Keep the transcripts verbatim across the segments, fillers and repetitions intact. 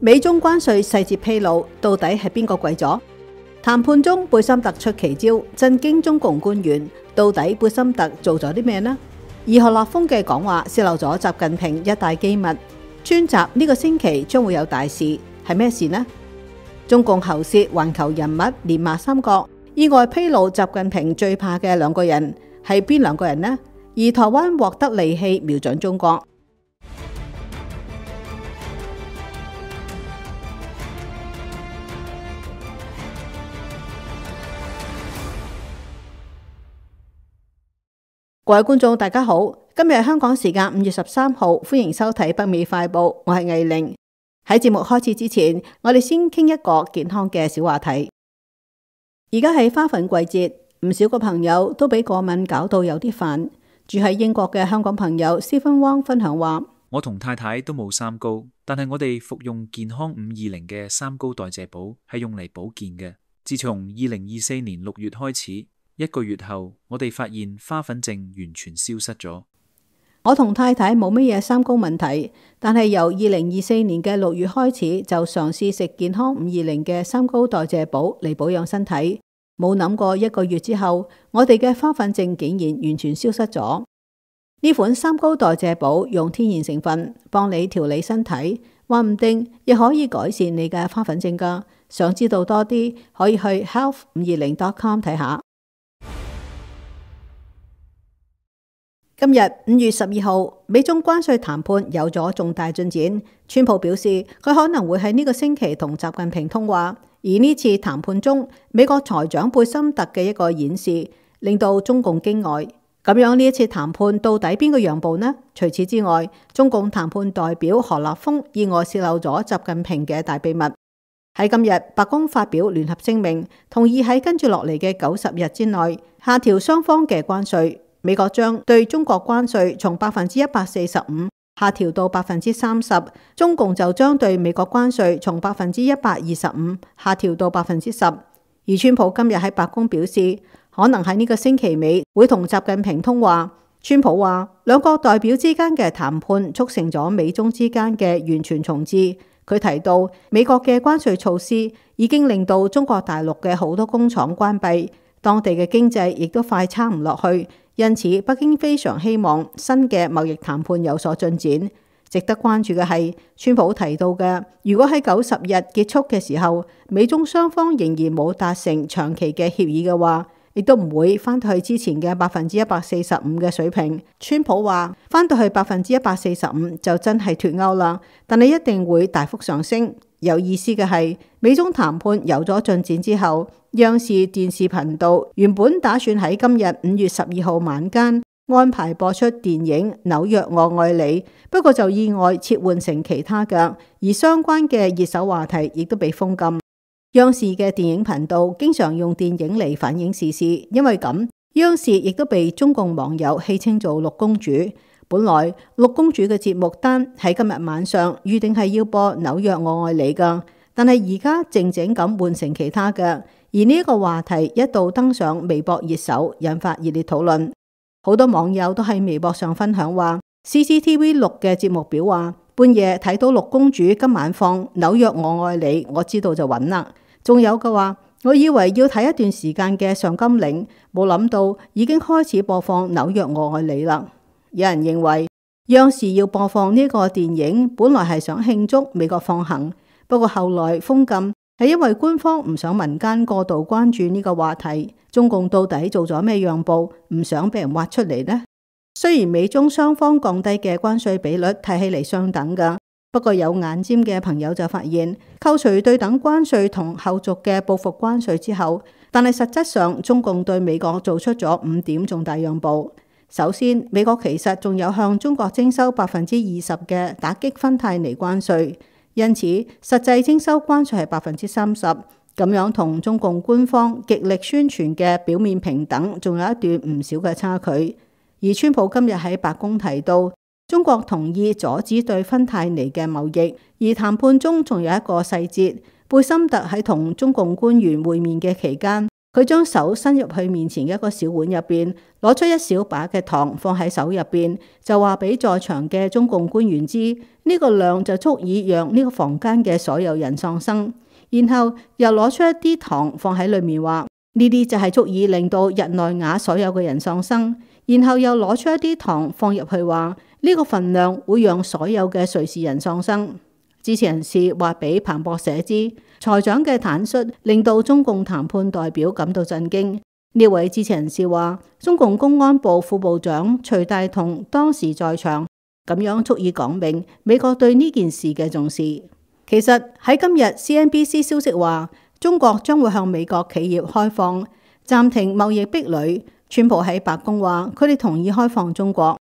美中關稅細節披露，到底係邊個跪咗？談判中貝森特出奇招，震驚中共官員。到底貝森特做咗啲咩呢？而何立峰嘅講話泄漏咗習近平一大機密。專集呢個星期將會有大事，係咩事呢？中共喉舌環球人物連罵三角，意外披露習近平最怕嘅兩個人係邊兩個人呢？而台灣獲得利器瞄準中國。各位觀眾大家好，今日係香港時間五月十三號，歡迎收睇北美快報，我係藝玲。喺節目開始之前，我哋先傾一個健康嘅小話題。而家係花粉季節，唔少個朋友都俾過敏搞到有啲煩。住喺英國嘅香港朋友 Stephen Wong 分享話：我同太太都冇三高，但係我哋服用健康五二零嘅三高代謝寶係用嚟保健嘅。自從二零二四年六月開始，一個月後，我哋發現花粉症完全消失咗。我同太太冇乜嘢三高問題，但係由二零二四年嘅六月開始就嘗試食健康五二零嘅三高代謝寶嚟保養身體，冇諗過一個月之後，我哋嘅花粉症竟然完全消失咗。呢款三高代謝寶用天然成分幫你調理身體，話唔定亦可以改善你嘅花粉症㗎。想知道多啲，可以去 health 五二零 dot com 睇下。今日五月十二號，美中關稅談判有咗重大進展。川普表示佢可能會喺呢個星期同習近平通話，而呢次談判中，美國財長貝森特嘅一個演示令到中共驚呆。咁樣呢一次談判到底邊個讓步呢？除此之外，中共談判代表何立峰意外泄漏咗習近平嘅大秘密。喺今日，白宮發表聯合聲明，同意喺跟住落嚟嘅九十日之內下調雙方嘅關稅。美國將對中國關稅從百分之一百四十五下調到百分之三十，中共就將對美國關稅從百分之一百二十五下調到百分之十。而川普今日喺白宮表示，可能喺呢個星期尾會同習近平通話。川普話，兩國代表之間嘅談判促成咗美中之間嘅完全重置。佢提到，美國嘅關稅措施已經令到中國大陸嘅好多工廠關閉，當地嘅經濟亦都快撐唔落去。因此，北京非常希望新嘅貿易談判有所進展。值得關注嘅係，川普提到嘅，如果喺九十日結束嘅時候，美中雙方仍然冇達成長期嘅協議嘅話，亦都唔會翻到去之前嘅百分之一百四十五嘅水平。川普話，翻到去百分之一百四十五就真係脫鈎啦，但係一定會大幅上升。有意思嘅係，美中談判有咗進展之後，央視電視頻道原本打算喺今日五月十二號晚間安排播出電影《紐約我愛你》，不過就意外切換成其他嘅，而相關嘅熱手話題亦都被封禁。央視嘅電影頻道經常用電影嚟反映時事，因為咁，央視亦都被中共網友戲稱做六公主。本來六公主嘅節目單喺今日晚上預定係要播《紐約我愛你》噶，但係而家靜靜咁換成其他嘅。而呢一個話題一度登上微博熱搜，引發熱烈討論。好多網友都喺微博上分享話 C C T V 六嘅節目表話，半夜睇到六公主今晚放《紐約我愛你》，我知道就穩啦。仲有嘅話，我以為要睇一段時間嘅上甘嶺，冇諗到已經開始播放《紐約我愛你》啦。有人認為央視要播放呢個電影，本來係想慶祝美國放行，不過後來封禁係因為官方唔想民間過度關注呢個話題。中共到底做咗咩讓步，唔想俾人挖出嚟呢？雖然美中雙方降低嘅關稅比率睇起嚟相等噶，不過有眼尖嘅朋友就發現，扣除對等關稅同後續嘅報復關稅之後，但係實質上中共對美國做出咗五點重大讓步。首先，美國其實仲有向中國徵收百分之二十嘅打擊芬太尼關稅，因此實際徵收關稅係百分之三十，咁樣同中共官方極力宣傳嘅表面平等，仲有一段唔少嘅差距。而川普今日喺白宮提到，中國同意阻止對芬太尼嘅貿易，而談判中仲有一個細節，貝森特喺同中共官員會面嘅期間，佢將手伸入去面前嘅一個小碗入邊，攞出一小把嘅糖放喺手入邊，就話俾在場嘅中共官員知，呢個量就足以讓呢個房間嘅所有人喪生。然後又攞出一啲糖放喺裏面，話呢啲就係足以令到日內瓦所有嘅人喪生。然後又攞出一啲糖放入去，話呢個份量會讓所有嘅瑞士人喪生。支持人士話俾彭博社知，財長嘅坦率令到中共談判代表感到震驚。呢位支持人士話，中共公安部副部長徐大同當時在場，咁樣足以講明美國對呢件事嘅重視。其實喺今日 C N B C 消息話，中國將會向美國企業開放，暫停貿易壁壘。川普喺白宮話，佢哋同意開放中國。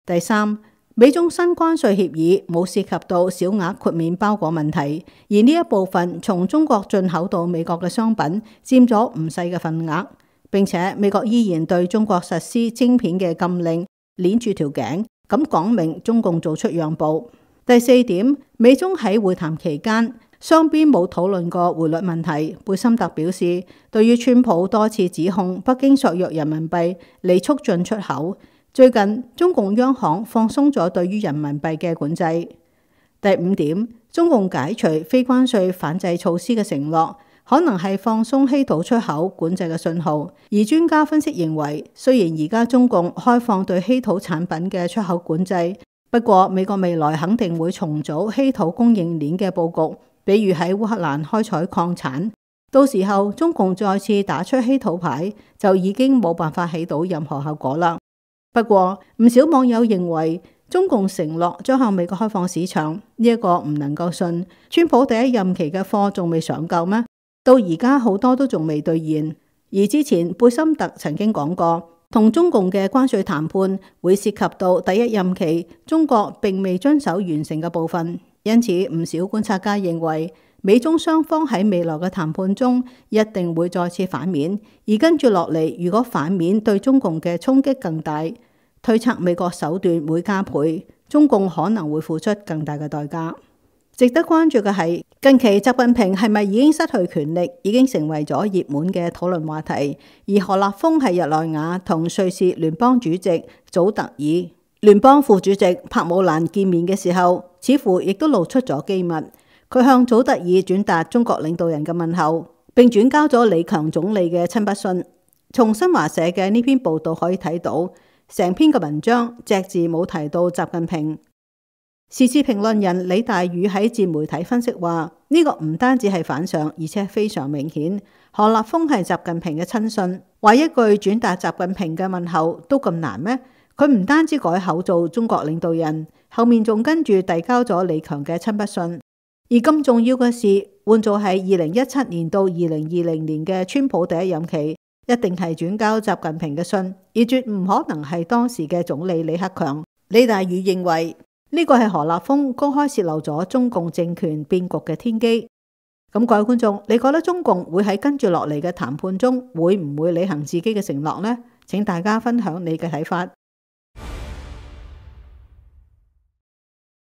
第三，美中新關稅協議冇涉及到小額豁免包裹問題，而呢一部分從中國進口到美國嘅商品佔咗唔細嘅份額，並且美國依然對中國實施晶片嘅禁令，鏈住條頸，咁講明中共做出讓步。第四點，美中喺會談期間，雙邊冇討論過匯率問題。貝森特表示，對於川普多次指控北京削弱人民幣嚟促進出口，最近中共央行放鬆咗對於人民幣嘅管制。第五點，中共解除非關稅反制措施嘅承諾，可能係放鬆稀土出口管制嘅信號。而專家分析認為，雖然而家中共開放對稀土產品嘅出口管制，不過美國未來肯定會重組稀土供應鏈嘅佈局，比如喺烏克蘭開採礦產，到時候中共再次打出稀土牌，就已經冇辦法起到任何效果啦。不過唔少網友認為，中共承諾將向美國開放市場，呢一個唔能夠信。川普第一任期嘅貨仲未上夠咩？到而家好多都仲未兌現。而之前貝森特曾經講過，同中共嘅關稅談判會涉及到第一任期中國並未遵守完成嘅部分，因此唔少觀察家認為，美中雙方喺未來嘅談判中一定會再次反面，而跟住落嚟，如果反面對中共嘅衝擊更大，推測美國手段會加倍，中共可能會付出更大嘅代價。值得關注嘅係，近期習近平係咪已經失去權力，已經成為咗熱門嘅討論話題。而何立峰喺日內瓦同瑞士聯邦主席祖特爾、聯邦副主席柏姆蘭見面嘅時候，似乎亦都露出咗機密。佢向祖特爾轉達中國領導人嘅問候，並轉交咗李強總理嘅親筆信。從新華社嘅呢篇報道可以睇到，成篇嘅文章隻字冇提到習近平。時事評論人李大宇喺自媒體分析話，呢、這個唔單止係反常，而且非常明顯。何立峰係習近平嘅親信，話一句轉達習近平嘅問候都咁難咩？佢唔單止改口做中國領導人，後面仲跟住遞交咗李強嘅親筆信。而咁重要嘅事，換做係二零一七年到二零二零年嘅川普第一任期，一定係轉交習近平嘅信，而絕唔可能係當時嘅總理李克強。李大宇認為，呢個係何立峰公開洩漏咗中共政權變局嘅天機。咁各位觀眾，你覺得中共會喺跟住落嚟嘅談判中會唔會履行自己嘅承諾呢？請大家分享你嘅睇法。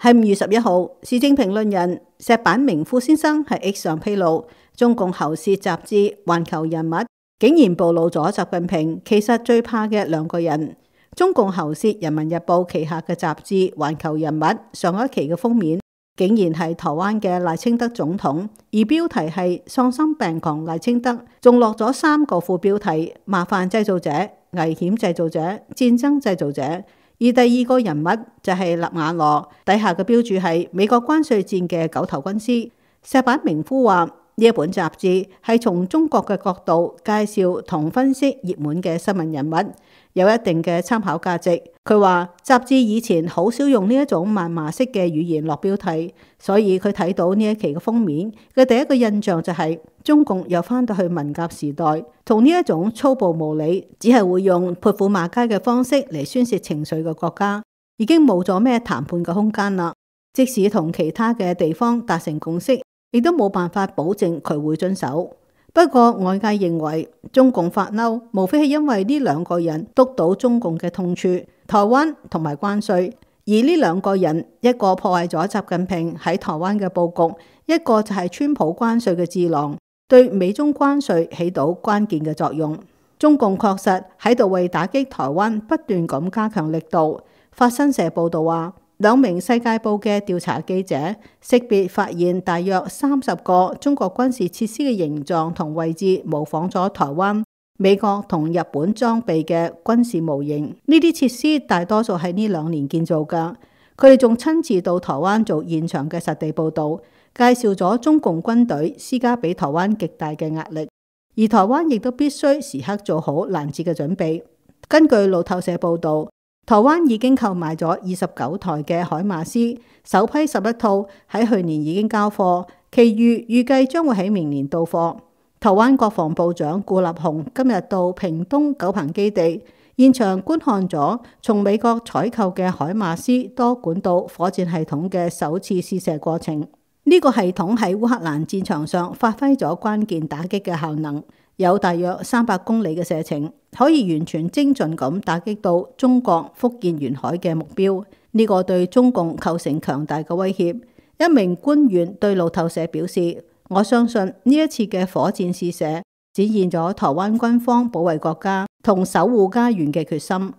喺五月十一號，時政評論人石板明夫先生喺 X 上披露，中共喉舌雜誌《環球人物》竟然暴露咗習近平其實最怕嘅兩個人。中共喉舌《人民日報》旗下嘅雜誌《環球人物》上一期嘅封面竟然係台灣嘅賴清德總統，而標題係喪心病狂賴清德，仲落咗三個副標題：麻煩製造者、危險製造者、戰爭製造者。而第二個人物就係納瓦羅，底下嘅標注係美國關稅戰嘅九頭軍師。石板明夫話，呢一本雜誌係從中國嘅角度介紹同分析熱門嘅新聞人物，有一定嘅參考價值。佢話雜誌以前好少用呢一種謾罵式嘅語言落標題，所以佢睇到呢一期嘅封面嘅第一個印象就係、是、中共又翻到去文革時代，同呢一種粗暴無理，只係會用潑婦罵街嘅方式嚟宣泄情緒嘅國家，已經冇咗咩談判嘅空間啦。即使同其他嘅地方達成共識，亦都冇辦法保證佢會遵守。不過外界認為中共發嬲，無非係因為呢兩個人督到中共嘅痛處，台灣同埋關稅。而呢兩個人，一個破壞咗習近平喺台灣嘅佈局，一個就係川普關稅嘅智囊。對美中關稅起到關鍵嘅作用。中共確實喺度為打擊台灣不斷咁加強力度。法新社報道話，兩名世界報嘅調查記者識別發現大約三十個中國軍事設施嘅形狀同位置模仿咗台灣、美國同日本裝備嘅軍事模型。呢啲設施大多數係呢兩年建造㗎。佢哋仲親自到台灣做現場嘅實地報導，介紹咗中共軍隊施加俾台灣極大嘅壓力。而台灣亦都必須時刻做好攔截嘅準備。根據路透社報導，台灣已經購買咗二十九台嘅海馬斯，首批十一套喺去年已經交貨，其餘預計將會喺明年到貨。台灣國防部長顧立雄今日到屏東九鵬基地現場觀看咗從美國採購嘅海馬斯多管道火箭系統嘅首次試射過程。呢個系統喺烏克蘭戰場上發揮咗關鍵打擊嘅效能，有大約三百公里嘅射程，可以完全精準咁打擊到中國福建沿海嘅目標。呢個對中共構成強大嘅威脅。一名官員對路透社表示，我相信呢一次嘅火箭試射展現咗台灣軍方保衛國家同守護家園嘅決心。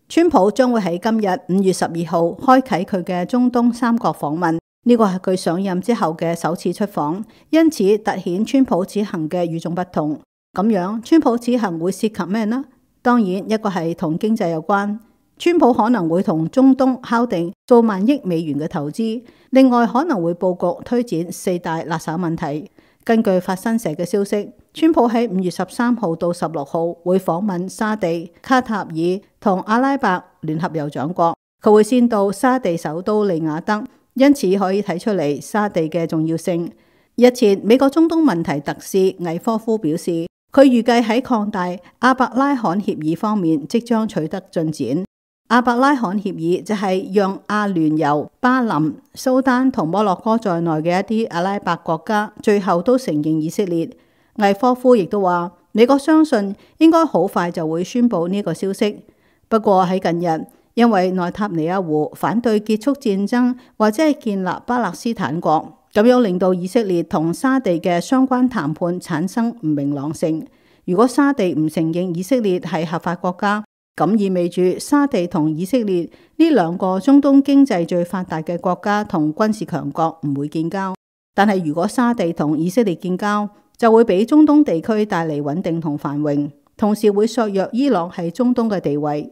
川普將會喺今日五月十二號開啟佢嘅中東三國訪問，呢個係佢上任之後嘅首次出訪，因此凸顯川普此行嘅與眾不同。咁樣，川普此行會涉及咩呢？當然，一個係同經濟有關，川普可能會同中東敲定數萬億美元嘅投資，另外可能會佈局推展四大辣手問題。根據法新社嘅消息，川普喺五月十三號到十六號會訪問沙地、卡塔爾同阿拉伯聯合酋長國，佢會先到沙地首都利雅得，因此可以睇出嚟沙地嘅重要性。日前，美國中東問題特使魏科夫表示，佢預計喺擴大阿伯拉罕協議方面即將取得進展。阿伯拉罕協議就係讓阿聯酋、巴林、蘇丹同摩洛哥在內嘅一啲阿拉伯國家最後都承認以色列。魏科夫亦都話，美國相信應該好快就會宣布呢個消息。不過喺近日，因為內塔尼亞胡反對結束戰爭或者係建立巴勒斯坦國，咁樣令到以色列同沙地嘅相關談判產生唔明朗性。如果沙地唔承認以色列係合法國家，咁意味住沙地同以色列呢兩個中東經濟最發達嘅國家同軍事強國唔會建交。但係如果沙地同以色列建交，就會俾中東地區帶嚟穩定同繁榮，同時會削弱伊朗喺中東嘅地位。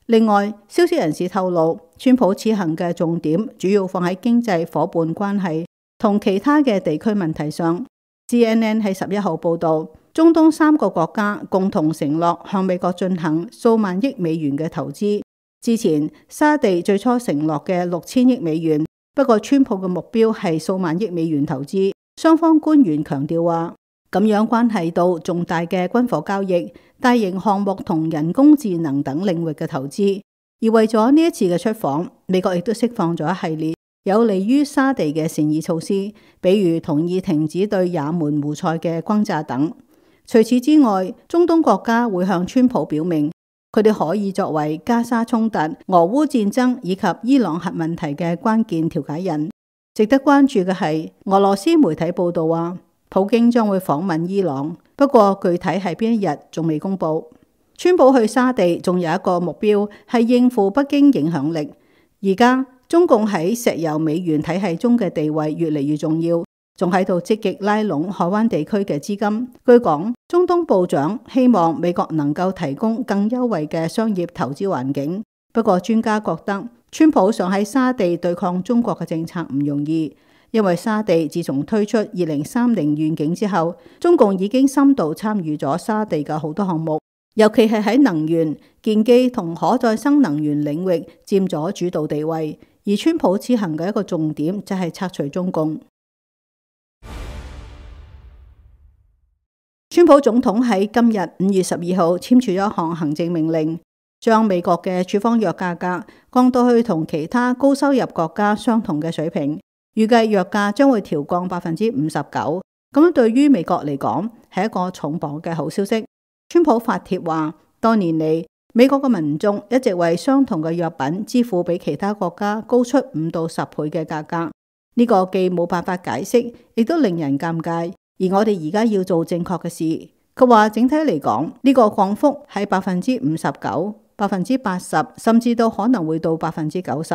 另外，消息人士透露，川普此行嘅重點主要放喺經濟夥伴關係同其他嘅地區問題上。C N N 喺十一號報導，中東三個國家共同承諾向美國進行數萬億美元嘅投資。之前沙地最初承諾嘅六千億美元，不過川普嘅目標係數萬億美元投資。雙方官員強調話，咁樣關係到重大嘅軍火交易、大型項目同人工智能等領域嘅投資。而為咗呢一次嘅出訪，美國亦都釋放咗一系列有利於沙地嘅善意措施，比如同意停止對也門胡塞嘅轟炸等。除此之外，中東國家會向川普表明，佢哋可以作為加沙衝突、俄烏戰爭以及伊朗核問題嘅關鍵調解人。值得關注嘅係，俄羅斯媒體報道話，普京將會訪問伊朗，不過具體係邊一日仲未公布。川普去沙地仲有一個目標係應付北京影響力。而家中共喺石油美元體系中嘅地位越嚟越重要，仲喺度積極拉攏海灣地區嘅資金。據講，中東部長希望美國能夠提供更優惠嘅商業投資環境。不過專家覺得，川普想喺沙地對抗中國嘅政策唔容易，因為沙地自從推出二零三零願景之後，中共已經深度參與咗沙地嘅好多項目，尤其係喺能源、建機同可再生能源領域佔咗主導地位。而川普此行嘅一個重點就係拆除中共。川普總統喺今日五月十二號簽署咗一項行政命令，將美國嘅處方藥價格降到去同其他高收入國家相同嘅水平，預計藥價將會調降百分之五十九。咁樣對於美國嚟講係一個重磅嘅好消息。川普發帖話，多年嚟美國嘅民眾一直為相同嘅藥品支付比其他國家高出五到十倍嘅價格，呢呢個既冇辦法解釋，亦都令人尷尬。而我哋而家要做正確嘅事。佢話整體嚟講，呢個降幅係百分之五十九、百分之八十，甚至都可能會到百分之九十。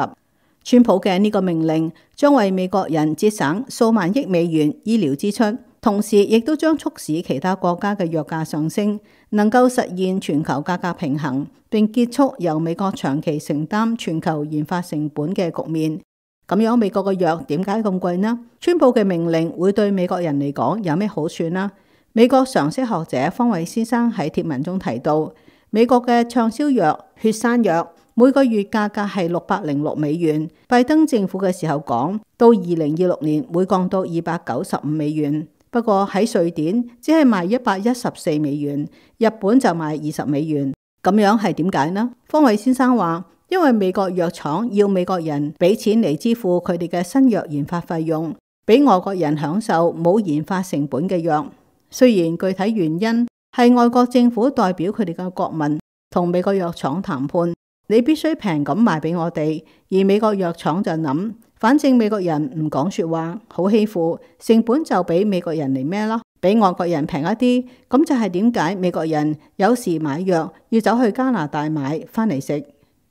川普嘅呢個命令將為美國人節省數萬億美元醫療支出，同時亦都將促使其他國家嘅藥價上升，能夠實現全球價格平衡，並結束由美國長期承擔全球研發成本嘅局面。咁樣美國嘅藥點解咁貴呢？川普嘅命令會對美國人嚟講有咩好處呢？美國常識學者方偉先生喺貼文中提到，美國嘅暢銷藥血栓藥每個月價格係六百零六美元。拜登政府嘅時候講到二零二六年會降到二百九十五美元。不過喺瑞典只係賣一百一十四美元，日本就賣二十美元。咁樣係點解呢？方偉先生話，因為美國藥廠要美國人俾錢嚟支付佢哋嘅新藥研發費用，俾外國人享受冇研發成本嘅藥。雖然具體原因係外國政府代表佢哋嘅國民同美國藥廠談判，你必須平咁賣俾我哋，而美國藥廠就諗，反正美國人唔講說話，好欺負，成本就俾美國人嚟孭咯，俾外國人平一啲。咁就係點解美國人有時買藥要走去加拿大買翻嚟食。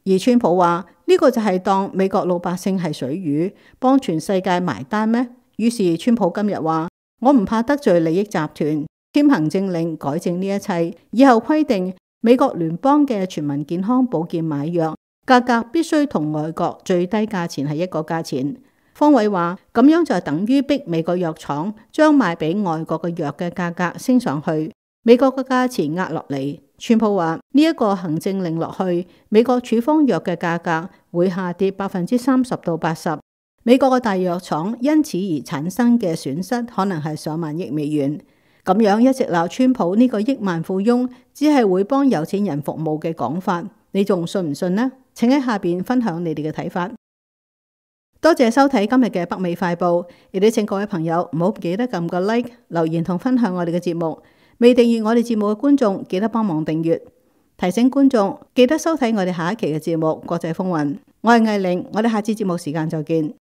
而川普話呢個就係當美國老百姓係水魚，幫全世界埋單咩？於是川普今日話，我唔怕得罪利益集團，簽行政令改正呢一切，以後規定美國聯邦嘅全民健康保健買藥價格必須同外國最低價錢係一個價錢。方偉話咁樣就等於逼美國藥廠將賣俾外國嘅藥嘅價格升上去，美國嘅價錢壓落嚟。川普話呢一個行政令落去，美國處方藥嘅價格會下跌百分之三十到八十。美國嘅大藥廠因此而產生嘅損失可能係上萬億美元。咁樣一直鬧川普呢個億萬富翁只係會幫有錢人服務嘅講法，你仲信唔信呢？請喺下邊分享你哋嘅睇法。多謝收睇今日嘅北美快報，亦都請各位朋友唔好記得撳個 like、留言同分享我哋嘅節目。未訂閱我哋節目嘅觀眾，記得幫忙訂閱。提醒觀眾記得收睇我哋下一期嘅節目《國際風雲》。我係藝玲，我哋下次節目時間再見。